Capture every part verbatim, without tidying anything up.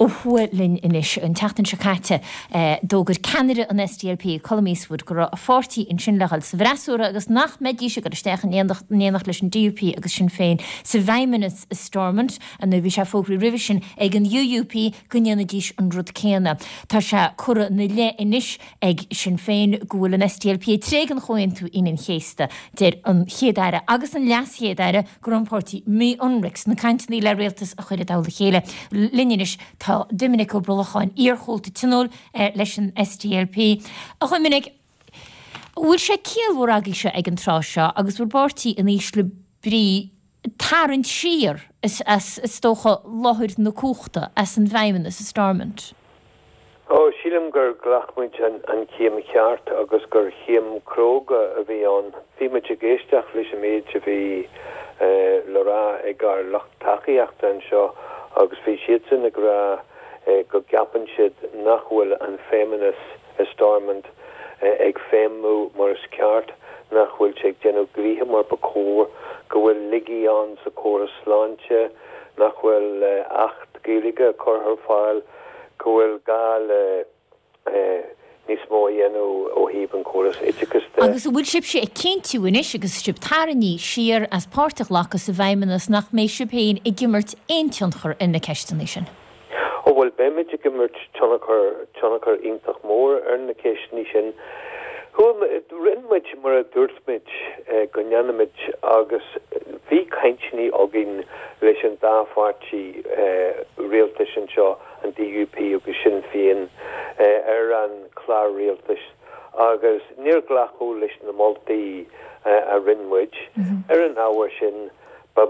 Ó thuaidh linn anois. An tseachtain seo caite, d'fhógair ceannaire an SDLP, Colum Eastwood, go raibh a pháirtí ansin le dhul sa bhfreasúra agus nach mbeidís ag dul isteach in éineacht leis an DUP agus Sinn Féin sa bhFeidhmeannas i Stormont. Nó bhí sé fógraithe roimhe sin ag an UUP go ndéanfaidís an rud céanna. Tá sé curtha ina leith anois ag Sinn Féin go bhfuil an SDLP ag tréigean Chomhaontú Aoine an Chéasta. Deir an Chéad-Aire agus an LeasChéad-Aire go raibh an páirtí mí-ionraic sna cainteanna le rialtas a chur i dtoll a chéile. Linn anois tá Doiminic Ó Brolacháin, iarchomhalta Tionóil leis an SDLP. A Dhoiminic, an bhfuil sé ciallmhar agaibhse ag an tráth seo agus bhur bpáirtí in ísle brí tarraingt siar as, is dócha, láthair na cumhachta, as an bhFeidhmeannas i Stormont? Ó, sílim gur ghlac muid an chéim cheart agus gur chéim cróga a bhí ann. Bhí muid ag éisteacht leis an méid a bhí le rá ag ár lucht tacaíochta anseo agus bhí siadsan ag rá go gceapann siad nach bhfuil an Feidhmeannas i Stormont ag feidhmiú mar is ceart, nach bhfuil sé ag déanamh gnoithe mar ba chóir, go bhfuil laigí ann sa chóras sláinte, nach bhfuil Acht Gaeilge curtha ar fáil, go bhfuil gá le níos mó a dhéanamh ó thaobh an chóras oideachais de. Agus an bhfuil sibhse ag cinntiú anois agus sibh tarraingthe siar as páirt a ghlacadh sa bhFeidhmeannas nach mbeidh sibh féin ag imirt aon tionchar ar na ceisteanna sin? Ó bhuel, beimid ag imirt tionchar, tionchar iontach mór ar na ceisteanna sin. Rinne muid mar a dúirt muid go ndéanfaimid agus bhí cainteanna againn leis an dá pháirtí rialtais anseo, an DUP agus Sinn Féin, ar an chlár rialtais agus níor glacadh leis na moltaí a rinne muid. Ar an ábhar sin, ba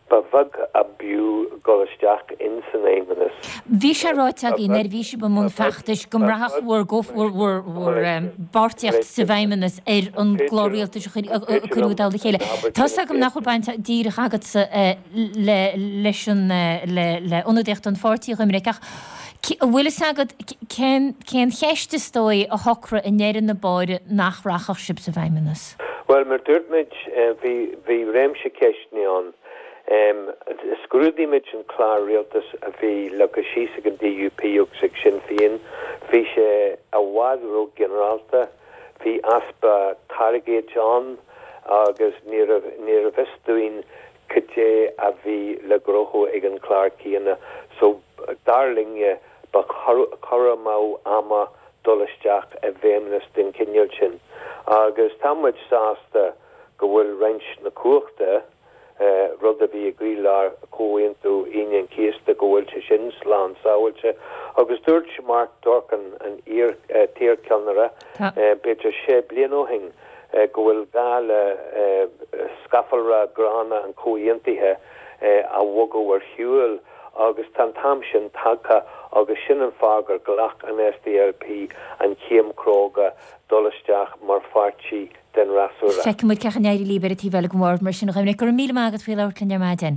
Ba bheag ab fhiú dul isteach in san Fheidhmeannas. Bhí sé ráite agaibh nuair a bhí sibh i mbun feachtais go mbraithfeadh bhur bpáirtíocht sa bhFeidhmeannas ar an gclár rialtais a cuireadh i dtoll a chéile. Tá's agam nach bhfuil baint díreach agatsa leis an le ionadaíocht an pháirtí, a Dhoiminic, ach an bhfuil fhios agat cén cheist is dóigh a shocraigh i ndeireadh na báire nach rachadh sibh sa bhFeidhmeannas? Bhuel, mar dúirt muid, bhí réimse ceisteanna ann. Scrúdaigh muid an clár rialtais a bhí leagtha síos ag an DUP agus ag Sinn Féin. Bhí sé i bhfad ró-ghinearálta, bhí easpa targaid ann agus níorbh fhios dúinn cad é a bhí le gnóthú ag an chlár céanna. So, dar linne, ba chur amú ama dul isteach i bhfeidhmeannas den chineál sin agus tá muid sásta go bhfuil roinnt na cumhachta, rud a bhí i gcroílár Chomhaontú Aoine an Chéasta, go bhfuil sé sin slán sábháilte. Agus dúirt Mark Durkan, an t-iarcheannaire, b'fhéidir sé bliana ó shin, go bhfuil gá le scafallra gránna an chomhaontaithe a bhogadh ar shiúl agus tá an t-am sin tagtha agus sin an fáth gur ghlac an SDLP an chéim chróga dul isteach mar pháirtí den fhreasúra. Feicfidh muid cén chaoi a n-éireoidh libh ar an taobh eile den bhord mar sin a Dhoiminic. Go raibh míle maith agat faoi labhairt linn ar maidin.